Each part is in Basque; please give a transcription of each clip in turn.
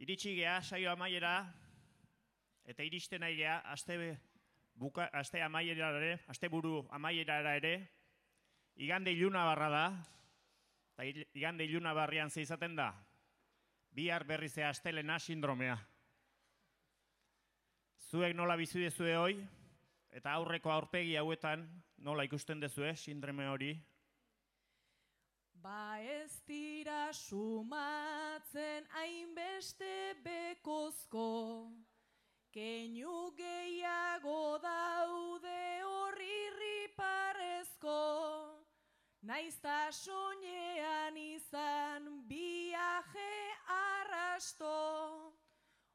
Iritsi geha saio amaiera, eta iristen nahi geha, aste buru amaierara ere, igande iluna barra da, eta igande iluna barrian ze izaten da, bihar berrizea astelena sindromea. Zuek nola bizi dezue hoi, eta aurreko aurpegi hauetan nola ikusten dezue sindrome hori? Ba ez dira sumatzen hainbeste bekozko, keinu gehiago daude horri parezko, naizta soinean izan biaje arrasto,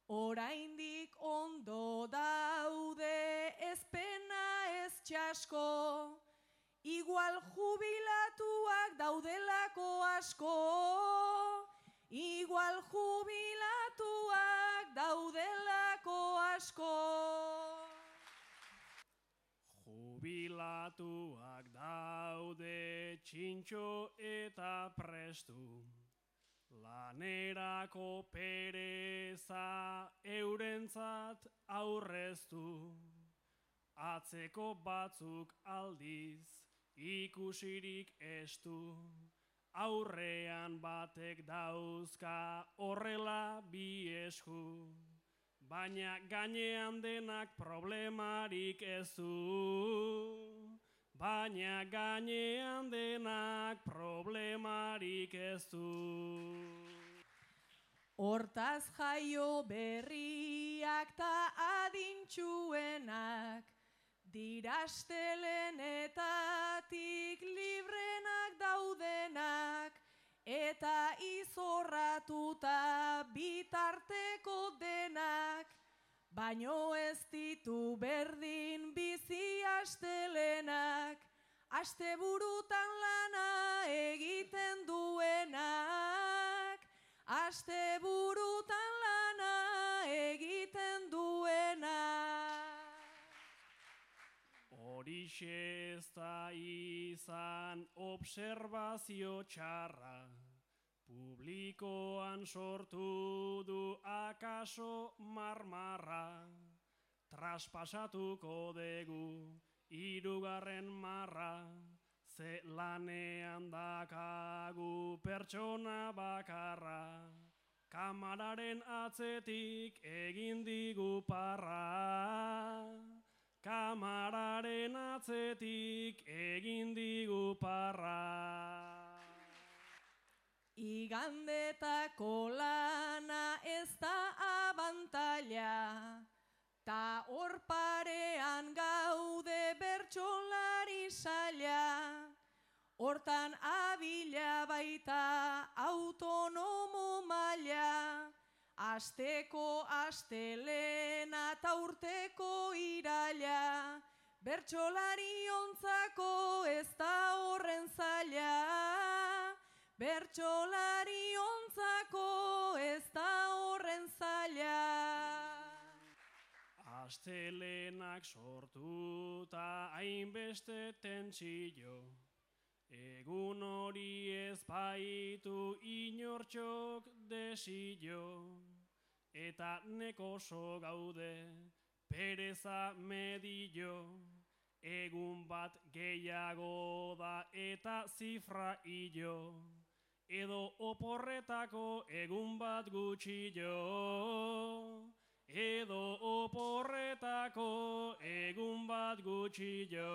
oraindik ondo daude ezpena ez txasko, igual jubilatuak daudelako asko, igual jubilatuak daudelako asko. Jubilatuak daude txintxo eta prestu, lanerako pereza eurentzat aurreztu, atzeko batzuk aldiz ikusirik estu, aurrean batek dauzka horrela bi esku, baina gainean denak problemarik ez du, baina gainean denak problemarik ez du. Hortaz jaio berriak ta adintxuenak, dirastelenetatik librenak daudenak, eta izorratuta bitarteko denak, baino ez ditu berdin bizi astelenak, asteburutan lana egiten duenak, asteburutan lana egiten duenak. Horixe ez da izan obserbazio txarra, publikoan sortu du akaso marmarra, traspasatuko dugu hirugarren marra, ze lanean dakagu pertsona bakarra, kamararen atzetik egin digu parra. Kamararen atzetik egin digu parra. Igandetako lana ez da abantaila, ta hor parean gaude bertsolari saila, hortan abila baita autonomo maila, asteko astelena ta urteko iraila, bertsolari ontzako ez da horren zaila, bertsolari ontzako ez da horren zaila. Astelenak sortuta hainbeste tentsio, egun hori ez baitu inortxok desio, eta nekoso gaude pereza medio, egun bat gehiago da eta zifra hilo, edo oporretako egun bat gutxillo, edo oporretako egun bat gutxillo.